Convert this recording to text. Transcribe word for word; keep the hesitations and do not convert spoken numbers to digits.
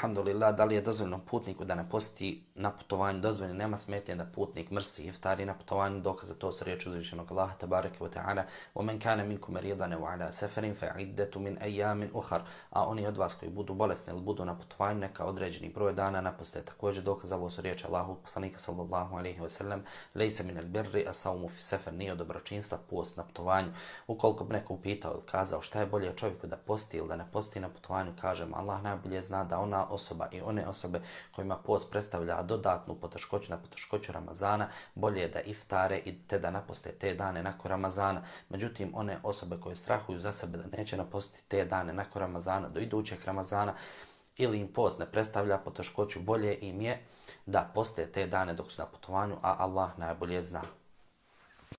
alhamdulillah, da li je dozvoljeno putniku da ne posti na putovanju? Dozvoljeno, nema smetnje da putnik mrsi iftari na putovanju, dokaz za to su riječi uzvišenog Allaha tabaraka wa ta'ala: وَمَنْ كَانَ مِنْكُمْ مَرِيضًا أَوْ عَلَى سَفَرٍ فَعِدَّةٌ مِنْ أَيَّامٍ أُخَرَ. A oni od vas koji budu bolesni ili budu na putovanju, neka određeni broj dana naposte. Također dokaz za ovo su riječi Allahovog poslanika sallallahu alejhi ve sellem: "Lejse min al-birri as-sawmu fi safar", nije od dobročinstva post na putovanju. Ukoliko bi neko upitao ili kazao šta je bolje čovjeku da posti ili da ne posti na putovanju, kažem Allah najbolje zna da ona osoba i one osobe kojima post predstavlja dodatnu poteškoću na poteškoću Ramazana, bolje je da iftare i te da naposte te dane nakon Ramazana. Međutim, one osobe koje strahuju za sebe da neće napostiti te dane nakon Ramazana do idućeg Ramazana, ili im post ne predstavlja poteškoću, bolje im je da poste te dane dok su na putovanju, a Allah najbolje zna.